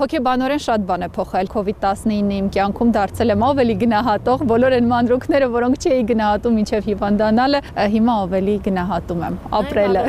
Հոգեբանորեն շատ բան է փոխել COVID-19-ը իմ կյանքում, դարձել եմ ավելի գնահատող, բոլոր այն մանրուքները, որոնք չէի գնահատում մինչև հիվանդանալը, հիմա ավելի գնահատում եմ ապրելը։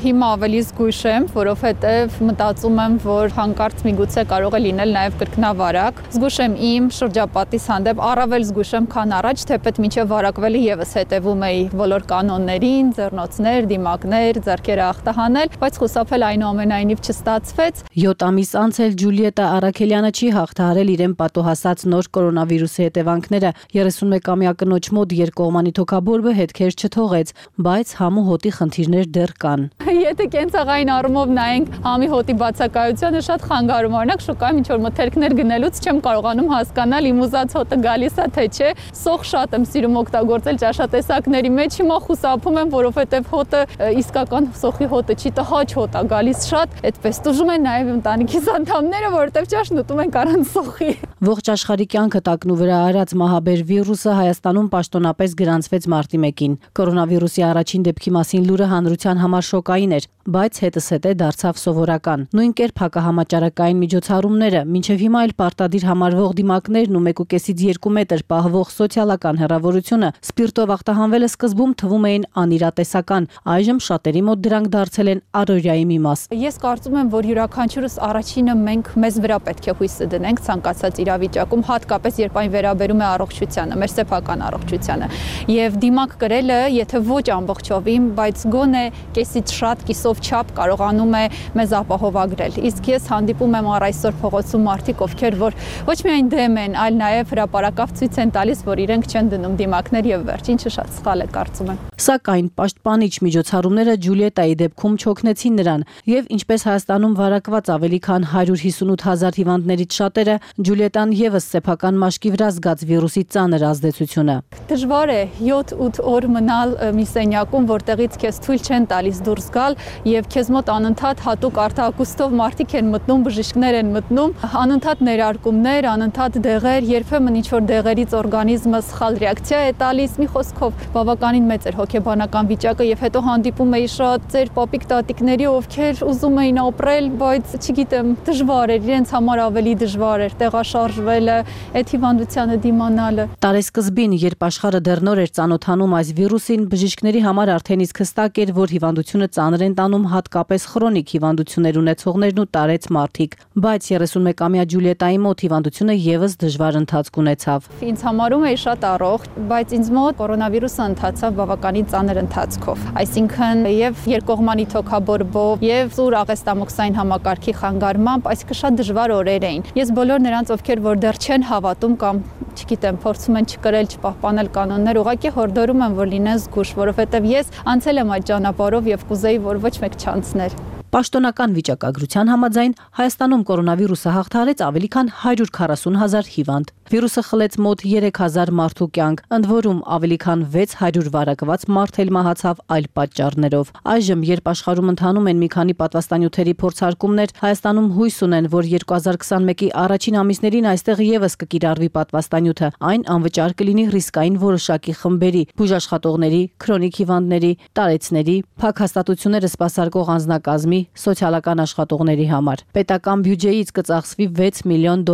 Հիմա ավելի զգույշ եմ, որովհետև մտածում եմ, որ հանկարծ միգուցե կարող է լինել նաև կրկնավարակ։ Զգույշ եմ իմ շրջապատիս հանդեպ, առավել զգույշ եմ, քան առաջ, թեպետ մինչև վարակվելը եւս հետևում էի բոլոր կանոններին, ձեռնոցներ, դիմակներ, ձեռքերը ախտահանել, բայց խուսափել այնուամենայնիվ չստացվեց։ 7 ամիս անց էլ Ջուլիետա Արաքելյանը չի հաղթահարել իրեն պատոհասած նոր կորոնավիրուսի հետևանքները։ 31-ամյա կնոջ մոտ երկկողմանի թոքաբորբը հետքեր չթողեց, բայց համու հոտի խնդիրներ դեռ կան։ Եթե կենցաղային առումով նայենք համի հոտի բացակայությանը, շատ խանգարում է։ Օրինակ շուկայում ինչ-որ մթերքներ գնելուց չեմ կարողանում հասկանալ իմ ուզած հոտը գալիս է թե չէ։ Սոխ շատ եմ սիրում օգտագործել ճաշատեսակների մեջ, հիմա խուսափում եմ, որովհետև հոտը իսկական սոխի հոտը չի, տհաճ հոտ է գալիս շատ, այդպես տուժում են նաև ընտանիքիս անդամները, որովհետև ճաշն ուտում են առանց սոխի։ Ողջ աշխարհի կյանքը տակնու վրա արած մահաբեր վիրուսը Հայաստանում պաշտոնապես գրանցվեց մարտի 1-ին։ Կորոնավիրուսի առաջին դեպքի մասին լուրը հանրության համար շոկային էր, բայց հետզհետե դարձավ սովորական։ Նույն կերպ հակահամաճարակային միջոցառումները, մինչև հիմա էլ պարտադիր համարվող դիմակներն ու 1.5-ից 2 մետր պահվող սոցիալական հեռավորությունը սպիրտով ախտահանվելը սկզբում թվում էին անիրատեսական, այժմ շատերի մոտ դրանք դարձել են առօրյայի մի մաս։ Ես կարծում եմ, որ յուրաքանչյուրս առաջինը մենք մեզ վրա պետք է հույսը դնենք ցանկացած իրավիճակում, հատկապես երբ այն վերաբերում է առողջությանը, մեր սեփական առողջությանը։ Եվ դիմակ կրելը, եթե ոչ ամբողջովին, բայց գոնե կեսից շատ կիսով չափ կարողանում է մեզ ապահովագրել։ Իսկ ես հանդիպում եմ առ այսօր փողոցում մարդիկ, ովքեր որ ոչ միայն դեմ են, այլ նաև հրապարակավ ցույց են տալիս, որ իրենք չեն դնում դիմակներ եւ վերջ, ինչը շատ սխալ է կարծում եմ։ Սակայն պաշտպանիչ միջոցառումները Ջուլիետայի դեպքում չօգնեցին նրան, եւ ինչպես Հայաստանում վարակված ավելի քան 158,000 հիվանդներից շատերը, Ջուլիետան եւս սեփական մաշկի վրա զգաց վիրուսի ծանր ազդեցությունը։ Դժվար է 7-8 օր մնալ մի սենյակում, որտեղից քեզ թույլ չեն տալիս դուրս գալ եւ քեզ մոտ անընդհատ հատուկ արտահակուստով մարդիկ են մտնում, բժիշկներ են մտնում, անընդհատ ներարկումներ, անընդհատ դեղեր, երբեմն ինչ-որ դեղերից օրգանիզմը սխալ ռեակցիա է տալիս, մի խոսքով բավականին մեծ էր հոգեբանական վիճակը եւ հետո հանդիպում էի շատ ծեր պապիկ տատիկների, ովքեր ուզում էին ապրել, բայց չգիտեմ, դժվար էր, իրենց համար ավելի դժվար էր տեղաշարժվելը, այդ հիվանդությանը դիմանալը։ Տարեսկզբին, երբ աշխարհը դեռ նոր էր ծանոթանում այս վիրուսին, բժիշկների համար արդեն իսկ հստակ էր, որ հիվանդությունը ծանր են տանում հատկապես քրոնիկ հիվանդություններ ունեցողներն ու տարեց մարդիկ, բայց 31-ամյա Ջուլիետայի մոտ հիվանդությունը եւս դժվար ընթացք ունեցավ։ Ինձ համարում էի շատ առողջ, բայց ինձ մոտ կորոնավիրուսը ընթացավ բավականին ծանր ընթացքով, այսինքն եւ երկկողմանի թոքաբորբով եւ սուր աղեստամոքսային համակարգի խանգարմամբ, այսինքն շատ դժվար օրեր էին։ Ես բոլոր նրանց, ովքեր որ դեռ չեն հավատում կամ չգիտեմ, փորձում են չկրել, չպահպանել կանոններ, ուղղակի հորդորում եմ, որ լինեն զգույշ, որովհետև ես անցել եմ այդ ճանապարհով եւ կուզեի, որ ոչ մեկ չանցներ։ Պաշտոնական վիճակագրության համաձայն Հայաստանում կորոնավիրուսը հաղթահարեց ավելի քան 140,000 հիվանդ։ Վիրուսը խլեց մոտ 3,000 մարդու կյանք, ընդ որում ավելի քան 600 վարակված մարդ էլ մահացավ այլ պատճառներով։ Այժմ, երբ աշխարհում ընթանում են մի քանի պատվաստանյութերի փորձարկումներ, Հայաստանում հույս ունեն, որ 2021-ի առաջին ամիսներին այստեղ եւս կկիրառվի պատվաստանյութը։ Այն անվճար կլինի ռիսկային որոշակի խմբերի, բուժաշխատողների, քրոնիկ հիվանդների, տարեցների, փակ հաստատությունները սպասարկող անձնակազմի, սոցիալական աշխատողների համար։ Պետական բյուջեից կծախսվի $6 միլիոն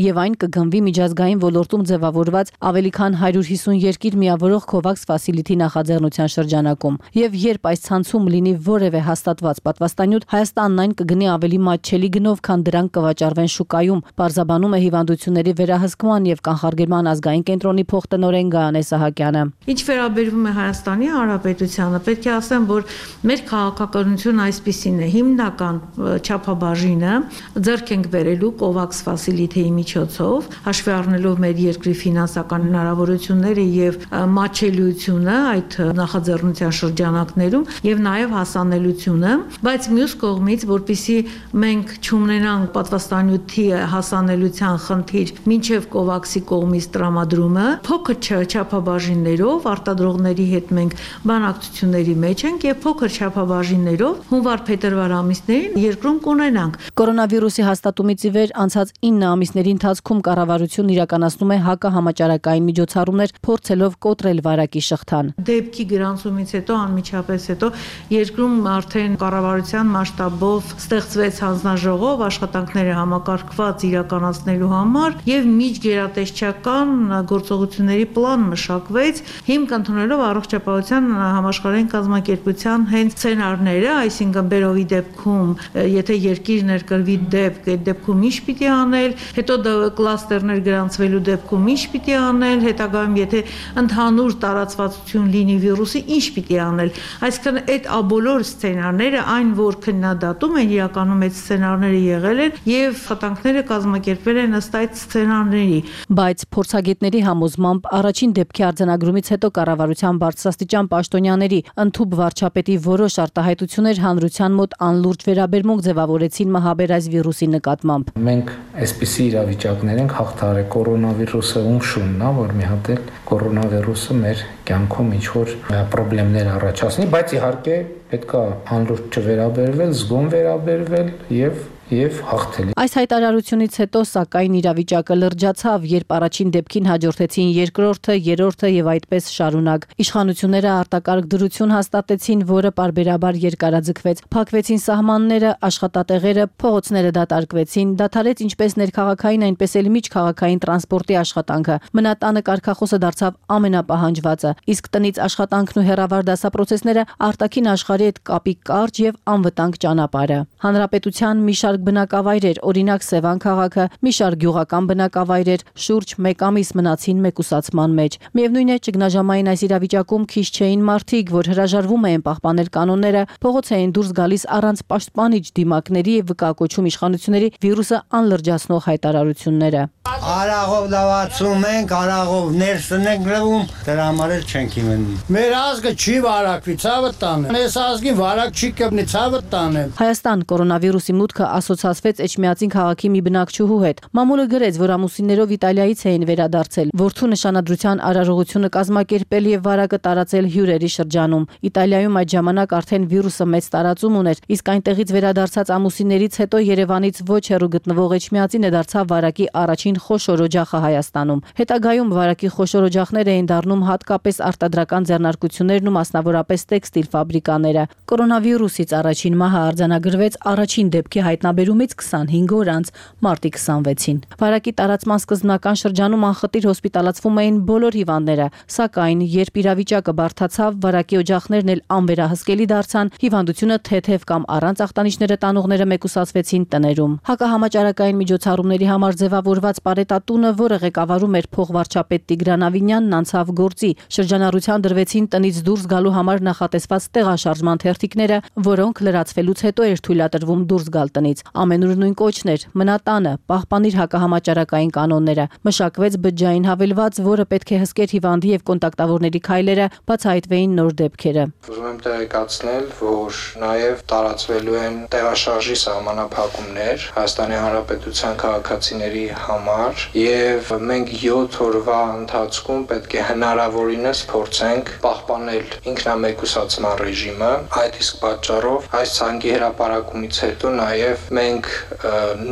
եւ այն կգնվի միջազգային ոլորտում ձևավորված ավելի քան 150 երկիր միավորող COVAX Facility նախաձեռնության շրջանակում։ Եվ երբ այս ցանցում լինի որևէ հաստատված պատվաստանյութ, Հայաստանն այն կգնի ավելի մատչելի գնով, քան դրանք կվաճառվեն շուկայում, պարզաբանում է հիվանդությունների վերահսկման եւ կանխարգելման ազգային կենտրոնի փոխտնօրեն Գայանե Սահակյանը։ Ինչ վերաբերվում է Հայաստանի Հանրապետությանը, պետք է ասեմ, որ մեր քաղաքականությունը այսպիսին է, հիմնական չափաբաժինը ձեռք ենք բերելու COVAX Facility-ի միջոցով, հաշվի առնելով մեր երկրի ֆինանսական հնարավորությունները եւ մատչելիությունը այդ նախաձեռնության շրջանակներում եւ նաեւ հասանելիությունը, բայց մյուս կողմից, որպեսզի մենք չունենանք պատվաստանյութի հասանելիության խնդիր մինչեւ COVAX-ի կողմից տրամադրումը, փոքր չափաբաժիններով արտադրողների հետ մենք բանակցությունների մեջ ենք եւ փոքր չափաբաժիններով հունվար-փետրվար ամիսներին երկրում կունենանք։ Կորոնավիրուսի հաստատումից ի վեր անցած 9 ամիսների ընթացքում կառավարությունն իրականացնում է հակահամաճարակային միջոցառումներ, փորձելով կոտրել վարակի շղթան։ Դեպքի գրանցումից հետո անմիջապես հետո երկրում արդեն կառավարության մասշտաբով ստեղծվեց հանձնաժողով աշխատանքները համակարգված իրականացնելու համար եւ միջգերատեսչական գործողությունների պլան մշակվեց, հիմք ընդունելով առողջապահության համաշխարհային կազմակերպության հենց սցենարները, այսինքն Բերովի դեպքում, եթե երկիր ներկրվի դեպք, այդ դեպքում ինչ պիտի անել, հետո կլաստերներ գրանցվելու դեպքում ինչ պիտի անել, հետագայում եթե ընդհանուր տարածվածություն լինի վիրուսի, ինչ պիտի անել։ Այսինքն այդ բոլոր սցենարները, այն որ քննադատում են, իրականում այդ սցենարները եղել են եւ խտանքները կազմակերպվել են ըստ այդ սցենարների։ Բայց փորձագետների համոզմամբ առաջին դեպքի արձանագրումից հետո կառավարության բարձրաստիճան պաշտոնյաների ընդհուպ վարչապետի որոշ արտահայտություններ հանրության մոտ անլուրջ վերաբերմունք ձևավորեցին մահաբերած վիրուսի նկատմամբ։ Մենք այսպիսի իրավիճակներ ենք հաղթահարել, կորոնավիրուսը ումշունն է, որ մի հատ էլ կորոնավիրուսը մեր կյանքում ինչ-որ խնդիրներ առաջացնի, բայց իհարկե պետք է անլուրջ չվերաբերվել, զգոն վերաբերվել եւ հաղթել։ Այս հայտարարությունից հետո սակայն իրավիճակը լրջացավ, երբ առաջին դեպքին հաջորդեցին երկրորդը, երրորդը եւ այդպես շարունակ։ Իշխանությունները արտակարգ դրություն հաստատեցին, որը պարբերաբար երկարաձգվեց։ Փակվեցին սահմանները, աշխատատեղերը, փողոցները դատարկվեցին, դադարեց ինչպես ներքաղաքային, այնպես էլ միջքաղաքային տրանսպորտի աշխատանքը։ Մնատանը կարգախոսը դարձավ ամենապահանջվածը, իսկ տնից աշխատանքն ու հեռավար դասապրոցեսները արտաքին աշխարհի հետ կապի կարճ եւ անվտանգ ճանապարհը։ Հանրապետության մի շարք բնակավայրեր, օրինակ Սևան քաղաքը, մի շարք գյուղական բնակավայրեր շուրջ 1 ամիս մնացին մեկուսացման մեջ։ Միևնույն է, ճգնաժամային այս իրավիճակում քիչ չէին մարդիկ, որ հրաժարվում էին պահպանել կանոնները, փողոց էին դուրս գալիս առանց պաշտպանիչ դիմակների եւ վկայակոչում իշխանությունների վիրուսը անլրջացնող հայտարարությունները։ Արաղով լավացում ենք, արաղով ներսն ենք լվում, դրա համար էլ չենք իմանում։ Մեր ազգը չի վարակվի, ցավը տանը։ Այս ազգին վարակ չի կպնի, ցավը տանը։ Հայաստան կորոնավիրուսի մուտքը ասոցացվեց Էջմիածին քաղաքի մի բնակչուհու հետ։ Մամուլը գրեց, որ ամուսիններով Իտալիայից էին վերադարձել, որդու նշանադրության արարողությունը կազմակերպել եւ վարակը տարածել հյուրերի շրջանում։ Իտալիայում այդ ժամանակ արդեն վիրուսը մեծ տարածում ուներ, իսկ այնտեղից վերադարձած ամուսիններից հետո Երևանից ոչ հեռու գտնվող Էջմիածինը դարձավ վարակի առաջին խոշոր օջախը Հայաստանում։ Հետագայում վարակի խոշոր օջախներ էին դառնում հատկապես արտադրական ձեռնարկություններն ու մասնավորապես տեքստիլ ֆաբրիկաները։ Կորոնավիրուսից առաջին մահը արձանագրվեց առաջին դեպքի հայտնաբերումից 25 օր անց մարտի 26-ին։ Վարակի տարածման սկզբնական շրջանում անխտիր հոսպիտալացվում էին բոլոր հիվանդները, սակայն երբ իրավիճակը բարդացավ, վարակի օջախներն էլ անվերահսկելի դարձան, հիվանդությունը թեթև կամ առանց ախտանիշները տանողները մեկուսացվեցին տներում։ Հակահամաճարակային միջոցառումների համար ձևավորված Պարետատունը, որը ղեկավարում էր փոխվարչապետ Տիգրան Ավինյանն, անցավ գործի։ Շրջանառության դրվեցին տնից դուրս գալու համար նախատեսված տեղաշարժման թերթիկները, որոնք լրացվելուց հետո էր թույլատրվում դուրս գալ տնից։ Ամենուր նույն կոչն էր՝ մնատանը, պահպանիր հակահամաճարակային կանոնները։ Մշակվեց բջջային հավելված, որը պետք է հսկեր հիվանդի եւ կոնտակտավորների քայլերը, բացահայտվեին նոր դեպքերը։ Ուզում եմ տեղեկացնել, որ նաեւ տարածվելու են տեղաշարժի սահմանափակումներ Հայաստանի Հանրապետության քաղաքացիների համար եւ մենք 7 օրվա ընթացքում պետք է հնարավորինս փորձենք պահպանել ինքնամեկուսացման ռեժիմը։ Այդ իսկ պատճառով այս ցանկի հրապարակումից հետո նաեւ մենք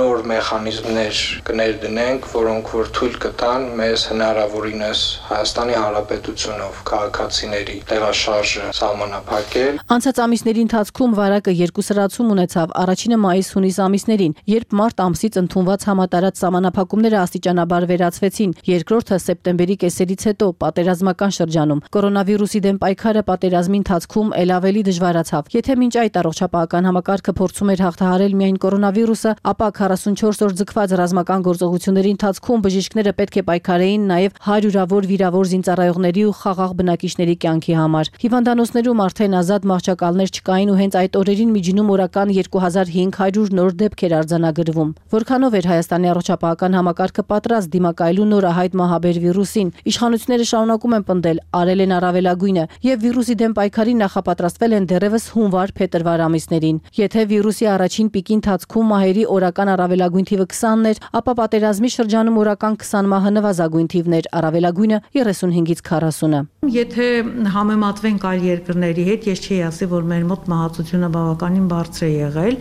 նոր մեխանիզմներ կներդնենք, որոնք որ թույլ կտան մեզ հնարավորինս Հայաստանի Հանրապետությունով քաղաքացիների տեղաշարժը սահմանափակել։ Անցած ամիսների ընթացքում վարակը երկու սրացում ունեցավ։ Առաջինը մայիս-հունիս ամիսներին, երբ մարտ ամսից ընդունված համատարած սահմանափակումները աստիճանաբար վերացվեցին, երկրորդը սեպտեմբերի կեսերից հետո պատերազմական շրջանում։ Կորոնավիրուսի դեմ պայքարը պատերազմի ընթացքում ել ավելի դժվարացավ։ Եթե մինչ այդ առողջապահական համակարգը փորձում էր հաղթահարել միայն կորոնավիրուսը, ապա 44 օր ձգված ռազմական գործողությունների ընթացքում բժիշկները պետք է պայքարեին նաև հարյուրավոր վիրավոր զինծառայողների ու խաղաղ բնակիչների կյանքի համար։ Հիվանդանոցներում արդեն ազատ մահճակալներ չկային ու հենց այդ օրերին միջինում օրական 2500 նոր դեպք էր արձանագրվում։ Որքանով էր Հայաստանի առողջապահական համակարգը պատրաստ դիմակայելու նորահայտ մահաբեր վիրուսին։ Իշխանությունները շարունակում են պնդել, արել են առավելագույնը եւ վիրուսի դեմ պայքարի նախապատրաստվել են դեռևս հունվար-փետրվար ամիսներին։ Եթե վիրուսի առաջին պիկի ընթացքում մահերի օրական առավելագույն թիվը 20-ն էր, ապա պատերազմի շրջանում օրական 20 մահը նվազագույն թիվն էր, առավելագույնը 35-ից 40-ը։ Եթե համեմատվենք այլ երկրների հետ, ես չի ասի, որ մեր մոտ մահացությունը բավականին բարձր է եղել։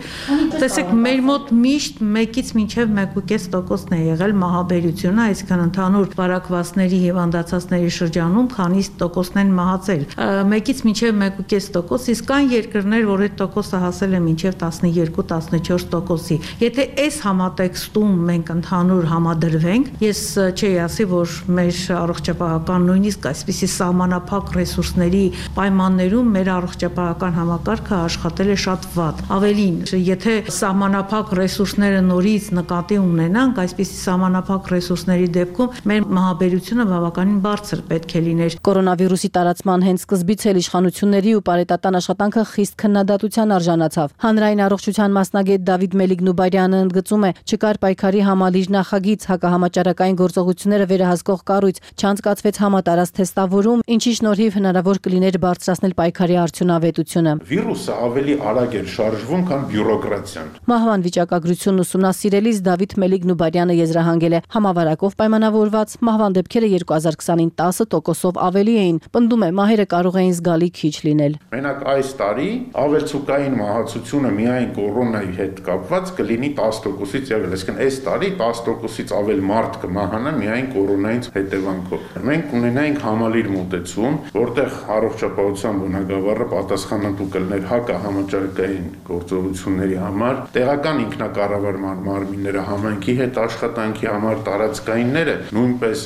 Տեսեք, մեր մոտ միշտ 1-ից մինչև 1.5%-ն է եղել մահաբերությունը, այսինքն ընդհանուր վարակվածների հիվանդացածների շրջանում քանի տոկոսն են մահացել։ 1-ից մինչև 1.5%, իսկ կան երկրներ, որ այդ տոկոսը հասել է մինչև 12-14%-ի։ Եթե այս համատեքստում մենք ընդհանուր համադրվենք, ես չի ասի, որ մեր առողջապահական նույնիսկ այսպիսի սահմանափակ ռեսուրսների պայմաններում մեր առողջապահական համակարգը աշխատել է շատ վատ։ Ավելին, եթե սահմանափակ ռեսուրսները նորից նկատի ունենանք, այսպիսի սահմանափակ ռեսուրսների դեպքում մեր մահաբերությունը բավականին բարձր պետք է լիներ։ Կորոնավիրուսի տարածման հենց սկզբից էլ իշխանությունների ու պարետատան աշխատանքը խիստ քննադատության արժանացավ։ Հանրային առողջության մասնագետ Դավիթ Մելիք-Նուբարյանը ընդգծում է, չկար պայքարի համալիր նախագիծ, հակահամաճարակային գործողությունները վերահսկող կառույց, չանցկացվեց համատարած թեստավորում, ինչի շնորհիվ հնարավոր կլիներ բարձրացնել պայքարի արդյունավետությունը։ Վիրուսը ավելի արագ էր շարժվում, քան բյուրոկրատիան։ Մահվան վիճակագրությունն ուսումնասիրելիս Դավիթ Մելիք-Նուբարյանը եզրահանգել է, համավարակով պայմանավորված մահվան դեպքերը 2020-ին 10%-ով ավելի էին, պնդում է, մահերը կարող էին զգալի քիչ լինել։ Մենակ այս տարի ավելցուկային մահացությունը միայն կորոնայի հետ կապված կլինի 10%-ից ևս, այսինքն այս տարի 10%-ից ավել մարդ կմահանա միայն կորոնայից հետևանքով։ Մենք ունենայինք համալիր մոտեցում, որտեղ առողջապահության բնագավառը պատասխանատու կլներ հակահամաճարակային գործողությունների համար, տեղական ինքնակառավարման մարմինները, համայնքի հետ աշխատանքի համար տարածքայինները, նույնպես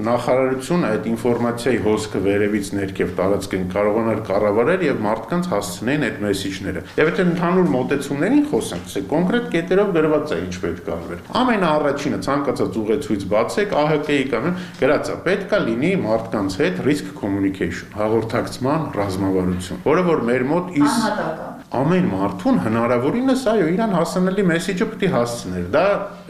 նախարարությունը այդ ինֆորմացիայի հոսքը վերևից ներքև տարածքին կարողանար կառավարել եւ մարդկանց հասցնեն այդ մեսիջները։ Եվ եթե ընդհանուր մոտեցումներին խոսենք, թե կոնկրետ կետերով գրված է ինչ պետք է արվեր։ Ամենաառաջինը ցանկացած ուղեցույց բացեք, ԱՀԿ-ի կամ գրած է, պետք է լինի մարդկանց հետ risk communication, հաղորդակցման ռազմավարություն, որը որ մեր մոտ ամեն մարդուն հնարավորինս իրան հասանելի մեսիջը պետք է հասցներ։ Դա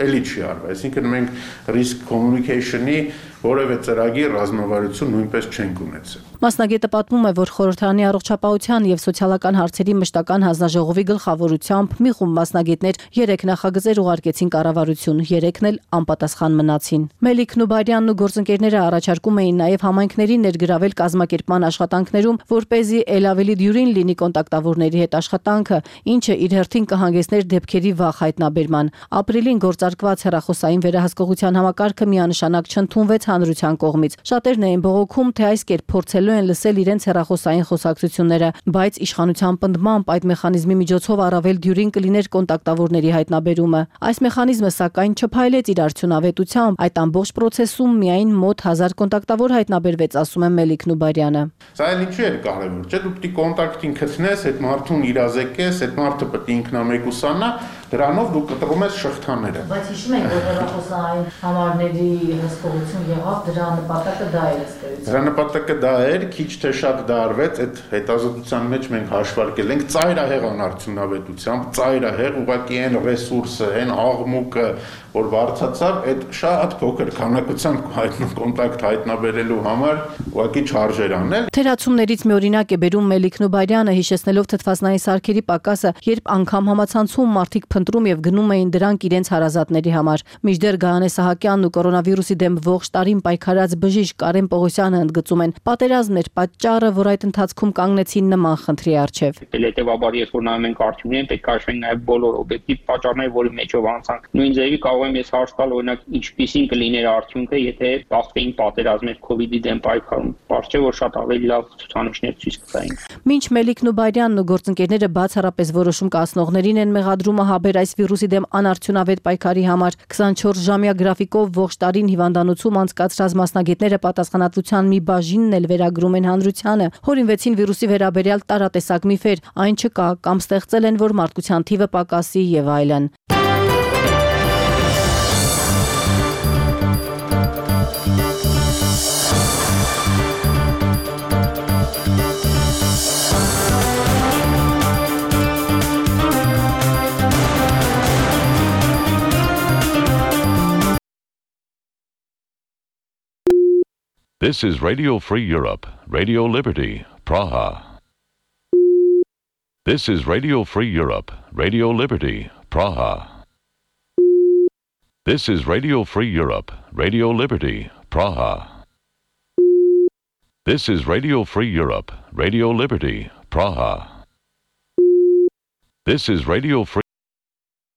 էլի չի արվում։ Այսինքն մենք risk communication-ի որևէ ծրագիր ռազմավարություն նույնպես չենք ունեցել։ Մասնագետը պատմում է, որ խորհրդարանի առողջապահության եւ սոցիալական հարցերի մշտական հանձնաժողովի գլխավորությամբ մի խումբ մասնագետներ 3 նախագծեր ուղարկեցին կառավարություն, 3-ն էլ անպատասխան մնացին։ Մելիք-Նուբարյանն ու գործընկերները առաջարկում էին նաեւ համայնքների ներգրավել կազմակերպման աշխատանքներում, որպեսզի ել ավելի դյուրին լինի կոնտակտավորների հետ աշխատանքը, ինչը իր հերթին կհանգեցներ դեպքերի վաղ հայտնաբերման։ Ապրիլին գործարկված հեռախոսային վերահսկողության համակարգը միանշանակ չընդունվեց հանրության կողմից։ Շատերն էին բողոքում, թե այս կերպ փորձելու են լսել իրենց հեռախոսային խոսակցությունները, բայց իշխանության պնդմամբ այդ մեխանիզմի միջոցով առավել դյուրին կլիներ կոնտակտավորների հայտնաբերումը։ Այս մեխանիզմը սակայն չփայլեց իր արդյունավետությամբ, այդ ամբողջ process-ում միայն մոտ 1000 կոնտակտավոր հայտնաբերվեց, ասում է Մելիք-Նուբարյանը։ Սա էլ ինչու էր կարևոր, չէ՞, դու պետք է կոնտակտին գտնես, այդ մարդուն իրազեկես, այդ մարդը պետք է ինքնամեկուսանա, դրանով դու կտրում ես շղթաները։ Բայց հիշում եք, որ հեռախոսային համարների հսկողություն եղավ, դրա նպատակը դա էր ըստ։ Դրա նպատակը դա էր, քիչ թե շատ դա արվեց, այդ հետազոտության մեջ մենք հաշվարկել ենք ծայրահեղ անարդյունավետությամբ, ծայրահեղ ուղղակի այն ռեսուրսը, այն աղմուկը, որ բարձրացավ, այդ շատ փոքր քանակությամբ կոնտակտ հայտնաբերելու համար ուղղակի չարժեր անել։ Թերացումներից մի օրինակ է բերում Մելիք-Նուբարյանը, հիշեցնելով թթվածնային սարքերի պակասը, երբ անգամ համացանցում մարդիկ փնտրում եւ գնում էին դրանք իրենց հարազատների համար։ Մինչդեռ Գայանե Սահակյանն ու կորոնավիրուսի դեմ ողջ տարին պայքարած բժիշկ Կարեն Պողոսյանը ընդգծում են, պատերազմն էր պատճառը, որ այդ ընթացքում կանգնեցին նման խնդրի առջև։ Հետևաբար, երբ որ նայում ենք արդյունքներին, պետք է հաշվենք նաեւ բոլոր օբյեկտիվ պատճառները, որի մեջով անցանք։ Նույն ձևի կարող եմ ես հարց տալ, օրինակ, ինչպիսին կլիներ արդյունքը, եթե բախվեին պատերազմներ COVID-ի դեմ պայքարում։ Բարձր չէ, որ շատ ավելի լավ ցուցանիշներ ցույց կտային։ Մինչ Մելիք-Նուբարյանն ու գործընկերները բացառապես որոշում կայացնողներին են մեղադրումը հաբեր այս վիրուսի դեմ անարդյունավետ պայքարի համար, 24-ժամյա գրաֆիկով ողջ տարին հիվանդանոցում անցկացրած մասնագետները պատասխանատվության մի բաժինն էլ վերագրում են հանրությանը, հորինվեցին վիրուսի վերաբերյալ տարատեսակ միֆեր, այն չկա կամ ստեղծել են, որ մարդկության թիվը պակասի եւ այլն։ This is Radio Free Europe, Radio Liberty, Praha. This is Radio Free Europe, Radio Liberty, Praha. This is Radio Free Europe, Radio Liberty, Praha. This is Radio Free Europe, Radio Liberty, Praha. This is Radio Free